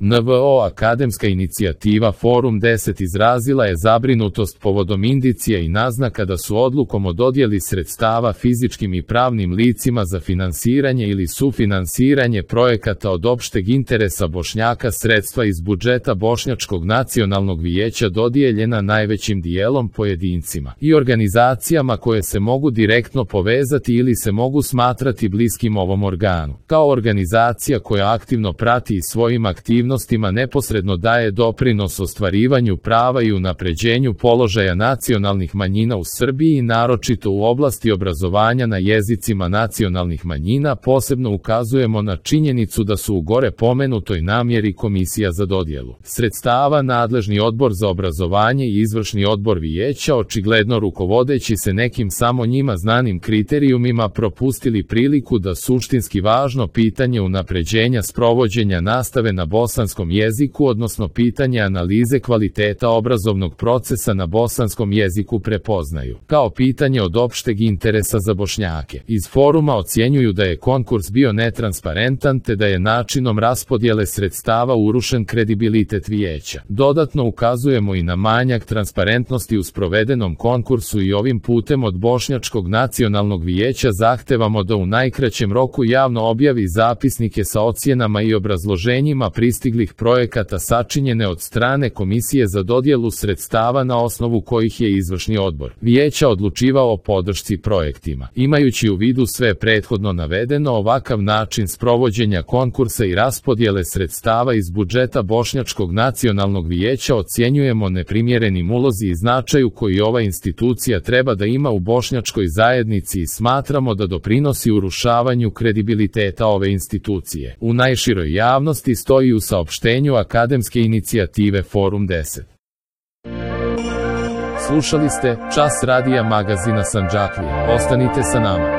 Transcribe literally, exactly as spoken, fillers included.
N V O Akademska inicijativa Forum deset izrazila je zabrinutost povodom indicija i naznaka da su odlukom o dodjeli sredstava fizičkim i pravnim licima za finansiranje ili sufinansiranje projekata od opšteg interesa Bošnjaka sredstva iz budžeta Bošnjačkog nacionalnog vijeća dodijeljena najvećim dijelom pojedincima i organizacijama koje se mogu direktno povezati ili se mogu smatrati bliskim ovom organu. Kao organizacija koja aktivno prati i svojim aktivnostima neposredno daje doprinos ostvarivanju prava i unapređenju položaja nacionalnih manjina u Srbiji i naročito u oblasti obrazovanja na jezicima nacionalnih manjina, posebno ukazujemo na činjenicu da su u gore pomenutoj namjeri Komisija za dodjelu sredstava, nadležni odbor za obrazovanje i izvršni odbor vijeća, očigledno rukovodeći se nekim samo njima znanim kriterijumima, propustili priliku da suštinski važno pitanje unapređenja sprovođenja nastave na bosanskom jeziku, odnosno pitanje analize kvaliteta obrazovnog procesa na bosanskom jeziku prepoznaju kao pitanje od opšteg interesa za Bošnjake. Iz foruma ocjenjuju da je konkurs bio netransparentan te da je načinom raspodjele sredstava urušen kredibilitet vijeća. Dodatno ukazujemo i na manjak transparentnosti u sprovedenom konkursu i ovim putem od Bošnjačkog nacionalnog vijeća zahtevamo da u najkraćem roku javno objavi zapisnike sa ocjenama i obrazloženjima pristiglih projekata sačinjene od strane Komisije za dodjelu sredstava na osnovu kojih je izvršni odbor vijeća odlučivao o podršci projektima. Imajući u vidu sve prethodno navedeno, ovakav način sprovođenja konkursa i raspodjele sredstava iz budžeta Bošnjačkog nacionalnog vijeća ocjenjujemo neprimjerenim ulozi i značaju koji ova institucija treba da ima u bošnjačkoj zajednici i smatramo da doprinosi urušavanju kredibiliteta ove institucije u najširoj javnosti, stoji u saopštenju Akademske inicijative Forum deset. Slušali ste Čas radija magazina Sandžaklija. Ostanite sa nama.